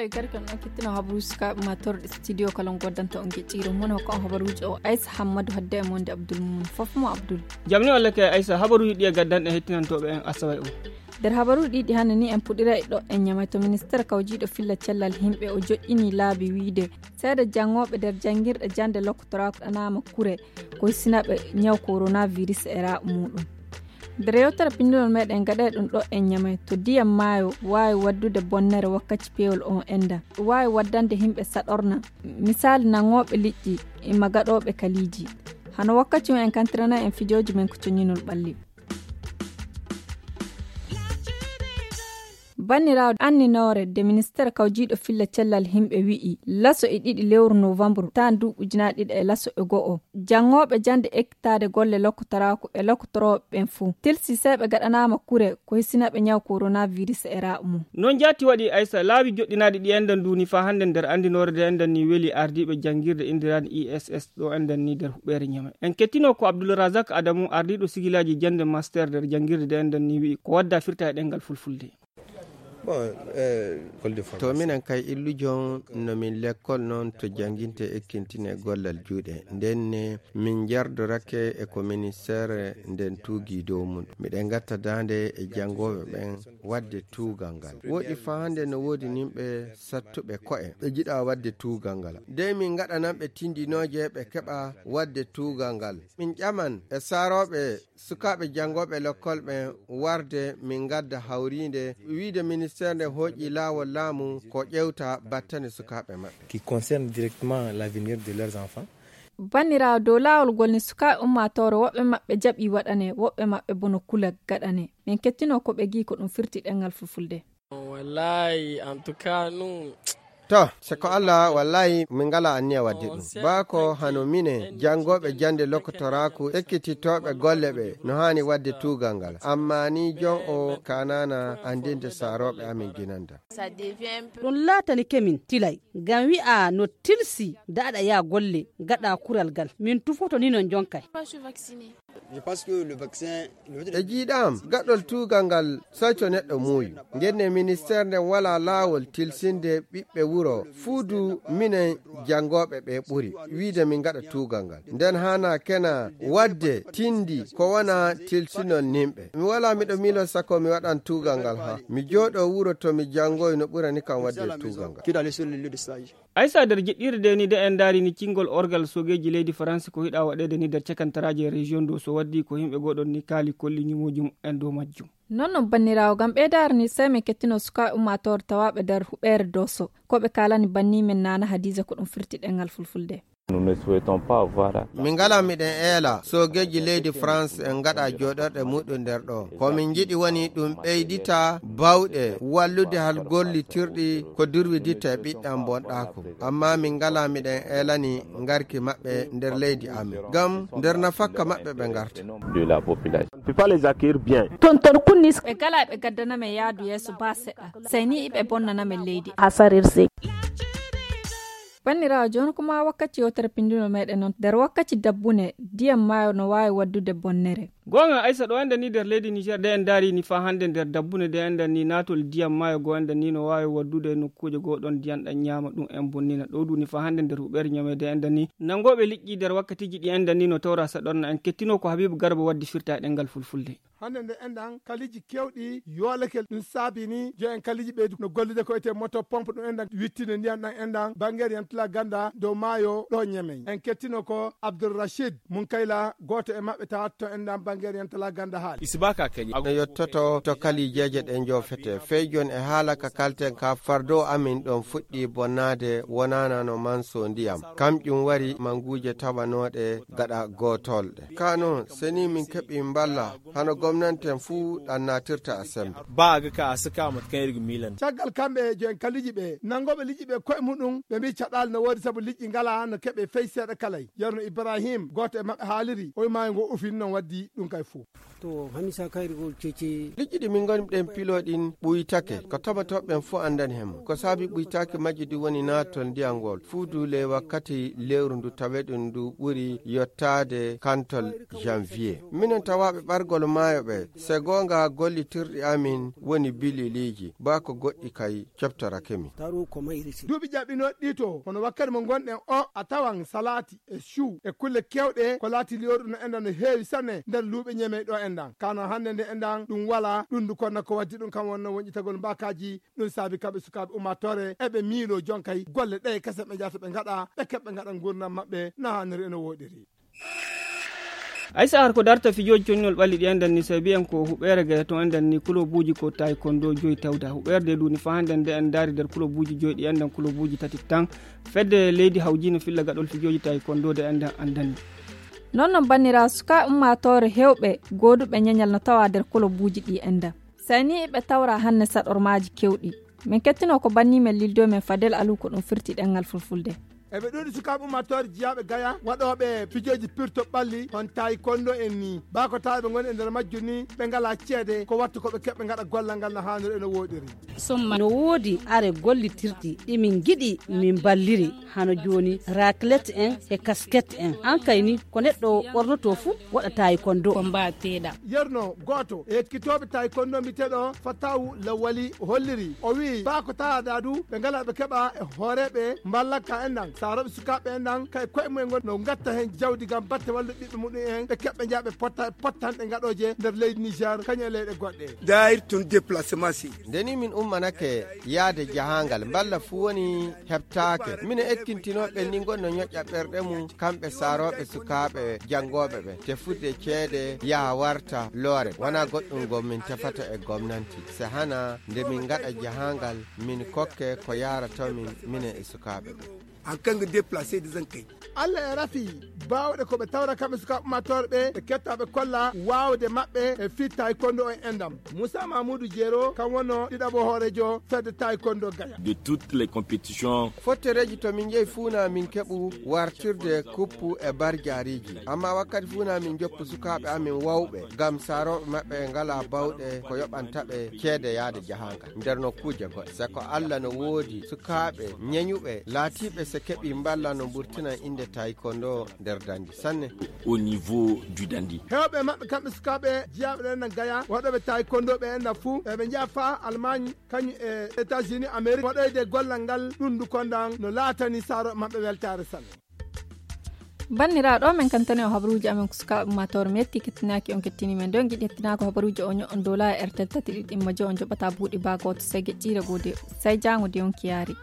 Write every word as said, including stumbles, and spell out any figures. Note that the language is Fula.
E garkan ɗon kettino habaruuji sukaaɓe ma torɗe studio kala on goddanta on geɗɗiiro mon hokka on habaruuji o Aisa Hammadu hadde e monde Abdul Mumin. Fof mo Abdul. Jam ni walla kay Aisa, habaruuji ɗi e gaddanɗe hettinantooɓe en asawa e o. Nder habaruuji ɗiɗi hannde ni en puɗira e ɗo en ñamay to ministeer kawjiiɗo filla cellal yimɓe o joɗɗini laabi wiide seeɗa janngooɓe nder janngirɗe jannde lokkotoraako ɗanaama kure ko sinaɓe ñaw coronavirus e raaɓo muɗum. Nder yewtere pinndunol meɗen gaɗe ɗum ɗo en ñamay to ndiyam maayo waawi waddude bonnere wakkati peewol on enda waawi waddande yimɓe saɗorna, misaali nangooɓe liƴƴi e magaɗooɓe kaliiji. Hano wakkati on en kantirana en fijooji men ko coñinol ɓalli. Banniraawo anninoore de ministeer kawjiiɗo filla cellal yimɓe wi'i laso e ɗiɗi lewru novembre tan duuɓi ujunaaji ɗiɗi e laso e go'o janngooɓe jannde ekkitaade golle lokkotoraaku e lokkotorooɓe ɓen fuu tilsi seeɓe gaɗanaama kure ko hisinaɓe ñaw coronavirus e raaɓo mum. Noon jaati waɗi Aysa laawi joɗɗinaaɗi ɗi enɗan duuni faa hannde nder anndinoore de enɗan ni weli ardiiɓe janngirde inndiraan I S S ɗo enɗan ni nder huɓeere ñama en kettino ko Abdul Razak Adamu ardiiɗo sigilaaji jannde master nder janngirde de enɗan ni wi'i ko wadda firta e ɗemngal fulfulde. To minen kay illujon no min lekkol noon to jannginte ekkintine gollal juuɗe nden ne min njardorake e ko ministeere nden tuugi dow mum miɗen ngatta daande e janngooɓe ɓen waɗde tuugal ngal woɗi faa hannde no woodi nimɓe sattuɓe ko'e ɓe njiɗa waɗde tuugal ngal dey min ngaɗananɓe tindinooje ɓe keɓa waɗde tuugal ngal min ƴaman e saarooɓe sukaaɓe janngooɓe lekkol ɓen warde min ngadda hawriinde wiide ministeer nde hooƴi laawol laamu ko ƴewta battane sukaaɓe maɓɓe. Qui concerne directement l'avenir de leurs enfants. Banniraawo dow laawol ngol ni sukaaɓe ummaatoore woɓɓe maɓɓe jaɓi waɗane woɓɓe maɓɓe bono kula gaɗane min kettino ko ɓe gii ko ɗum firti ɗemngal fulfulde. Wallahi en tout cas nous. To se ko allah wallahi min ngala anniya wadde ɗum baa ko hano minen janngooɓe jannde lokkotoraaku ekkitittooɓe golle ɓe no haani waɗde tuugal ngal amma ni jon o kanana anndinde saarooɓe amin ginanda. Ɗum laatanike min tilay ngam wi'a no tilsi daɗa ya golle gaɗa kural ngal min tufoto ni non jonkay. E jiiɗaam gaɗol tuugal ngal soyto neɗɗo muuyu ngenne ministeer nden walaa laawol tilsinde ɓiɓɓe wuro fuu du minen janngooɓe ɓe ɓuri wiide min ngaɗa tuugal ngal nden haana kena waɗde tindi ko wona tilsinol nimɓe mi walaa miɗo miilo sako mi waɗan tuugal ngal haa mi jooɗo wuro to mi janngoy no ɓurani kam waɗde tuugal ngal. Aysa nder jiɗɗirde de ni de en ndaari ni cingol orgal sogeeji leydi faransi ko hiɗa waɗeede ni nder cakantaraaji e région dow so waddi ko yimɓe goɗon ni kaali kolli ñumooji mumen dow majjum. Non non banniraawo ngam ɓeydaare ni sey min kettino sukaaɓe ummaatoore tawaaɓe nder huɓeere doso ko ɓe kaalani banni men naana hadiisa ko ɗum firti ɗemngal fulfulde. Min ngala miɗen eela soogeeji leydi france en ngaɗa jooɗorɗe muɗum nder ɗo ko min njiɗi woni ɗum ɓeydita bawɗe wallude hal gollitirɗi ko durwiditta e ɓiɗɗam bonɗaaku amma min ngala miɗen eelani ngarki maɓɓe nder leydi amin ngam nder nafakka maɓɓe ɓe ngarta. Tonton kunnis ɓe gala ɓe gaddana men yaadu yeeso ba seɗɗa sey ni iɓe bonnana men leydi. Hasarirse. Banniraawo jooni ko maa wakkati yewtere pinndunoo meeɗen noon nder wakkati dabbune ndiyam maayo no waawi waɗdude bonnere. Goonga aysa ɗo enɗen ni nder leydi niger de en ndaari ni faa hannde nder dabbune de enɗen ni naatol ndiyam maayo goo enɗen ni no waawi waɗdude e nokkuuje goo ɗon ndiyam ɗan ñaama ɗum en bonnina ɗo duni faa hannde nder huɓeere ñameede enɗen ni nanngooɓe liƴƴi nder wakkatiiji ɗi enɗen ni no tawra saɗorna en kettinoo ko habiibu garba waddi firta e ɗemngal fulfulde. Hannde nde enɗan kaliiji keewɗi yoolakel ɗum saabi ni jo en kaliiji ɓeydu no gollude ko etee moto pompe ɗum enɗan wittinde ndiyam ɗam enɗan banngeere yantala gannda dow maayo ɗo ñemey en kettino ko abdoul rachid mun kayla gooto e maɓɓe tawata to enɗan banngeere yantala gannda haali. No yettoto to kaliijeeje ɗen joofete fey jooni e haala ka kalten ka fardo amin ɗon fuɗɗi bonnaade wonaana no manso ndiyam kamƴum wari manguuje tawanooɗe gaɗa gootolɗe ka noon seni min keɓi mballa hano gomnanten fuu ɗan naatirta a sembe. Ba a ga ka a saka mata kaŋ iri ga miilan. Caggal kamɓe joyen kaliji ɓe nangooɓe liƴƴi ɓe koye muɗum ɓe mbii caɗaali no woodi sabu liƴƴi ngalaa no keɓe fey seeɗa kalay. Yerno ibrahim gooto e maɓɓe haaliri oy maayo ngo ufini noon waddi ɗum kay fuu. To hamisa kayri gol cece. Liƴƴi ɗi min ngoni ɗen pilo ɗin ɓuytake ko toɓotooɓe ɓen fuu anndani hemo ko saabi ɓuytaaki majji ɗi woni naatol ndiyam ngol fuu duule wakkati lewru ndu tawe ɗum ndu ɓuri yottaade kantol janvier minen tawaaɓe ɓargol maayo. Ɓe se goonga gollitirɗi amin woni bililiiji, baa ko goɗɗi kay coftorake min. Duuɓi jaɓɓinooɗi ɗi to, hono wakkati mo ngonɗen o, a tawan salaati e cuu e kulle keewɗe ko laati liyoru no enɗan no heewi sanne nder luuɓe ñemey ɗo enɗan. Kano hannde nde enɗan ɗum walaa ɗum ndu konna ko waddi ɗum kam wonno woñƴitagol mbaakaaji. Ɗum saabi kamɓe sukaaɓe ummaatoore eɓe miiloo jonkay golle ɗe kese ɓe njahata ɓe ngaɗa ɓe keɓɓe ngaɗa nguurndam maɓɓe no haaniri eno wooɗiri. Ay sahar ko darta fijooji connol ɓalli ɗi enɗan ni, sabi en ko huɓeere gaya to enɗan ni kulobuuji ko taay kondo joyi tawda huɓeerde duuni fa hannden nde en ndaari nder kulobuuji joyi ɗi enɗan kulobuuji tati tan. Fedde leydi hawjiino filla gaɗol fijooji taay kondo de enɗan anndani. Noon noon banniraaɓe sukaaɓe ummaatoore heewɓe gooduɓe ñeñal no tawaa nder kulobuuji ɗi enɗan. Sayni ɓe tawra hanne saɗormaaji kewɗi. Min kettino ko banni men lildo men Fadel Alu ko ɗum firti ɗemngal fulfulde. Eɓe ɗuuɗi sukaaɓe ummaatoore jiyaaɓe gaya waɗooɓe pijooji pirto ɓalli hon taay kondo en ni. Baa ko tawa ɓe ngoni e nder majjum ni ɓe ngalaa ceede ko wattu ko ɓe keɓɓe ngaɗa gollal ngal no haaniri e no wooɗiri. No woodi are gollitirɗi ɗi min ngiɗi min mballiri hano jooni raklet en e kasket en. An kay ni ko neɗɗo ɓornoto fuu waɗa taay kondo. Yerno gooto e ekkitooɓe taay kondo mbiyeteeɗo Fatawu Lawali holliri. O wi'i baa ko tawa dadu ɓe ngalaa ɓe keɓa e hooreeɓe mballaka en ɗan. Saarooɓe sukaaɓe en ɗan kay koye mumen ngon no ngatta heen jawdi ngam batte wallude ɓiɓɓe muɗum en ɓe keɓɓe njaha ɓe potta e pottanɗe ngaɗooje nder leydi Niger kañum e leyɗe goɗɗe. Daayir tun déplacement si. Nde ni min ummanake yaade jahaangal mballa fuu woni heɓtaake. Mine ekkintinooɓe ni ngon no ñoƴƴa ɓerɗe mum kamɓe saarooɓe sukaaɓe janngooɓe ɓe. Tefudde ceede yaha warta loore wonaa goɗɗum gom min tefata e gomnanti. Se hana nde min ngaɗa jahaangal min kokke ko yaarata min mine e sukaaɓe ɓe. An kanga déplacé de zan kai. Allah e rafi baawɗe ko ɓe tawra kamɓe sukaaɓe ummaatoore ɓe ɓe ketta ɓe kolla waawde maɓɓe e fii taekwondo en endam. Moussa Mamoudou Diero kam wonno ɗiɗaɓo hooreejo fedde taekwondo Gaya. De toutes les compétitions. Fottereeji to min njehi fuuna min keɓu wartirde kuppu e barjaariiji. Amma wakkati fuuna min jokku sukaaɓe amin wawɓe ngam saarooɓe maɓɓe ngala bawɗe ko yoɓanta ɓe ceede yaade jahaangal nder nokkuuje goɗɗe. Se ko Allah no woodi sukaaɓe ñeñuɓe laatiiɓe se keɓi mballa no mburtina innde taekwondo nder dandi sanne. Au niveau du dandi. Heewɓe maɓɓe kamɓe sukaaɓe jiyaaɓe ɗen nan Gaya waɗooɓe taekwondo ɓe enna fuu eɓe njaha faa Allemagne kañum e États-Unis Amérique waɗoyde gollal ngal ɗum ndu kondan no laatani saarooɓe maɓɓe weltaare sanne. Banniraaɗo men kantane o habaruuji amen ko sukaaɓe ummaatoore mi yetti kettinaaki on kettini men ɗo giɗi hettinaako habaruuji o ño'on dow laawi R T L tati ɗiɗi ɗimma joy on joɓata buuɗi baa gooto sey geƴƴiire goo de sey jaango de on kiyaari.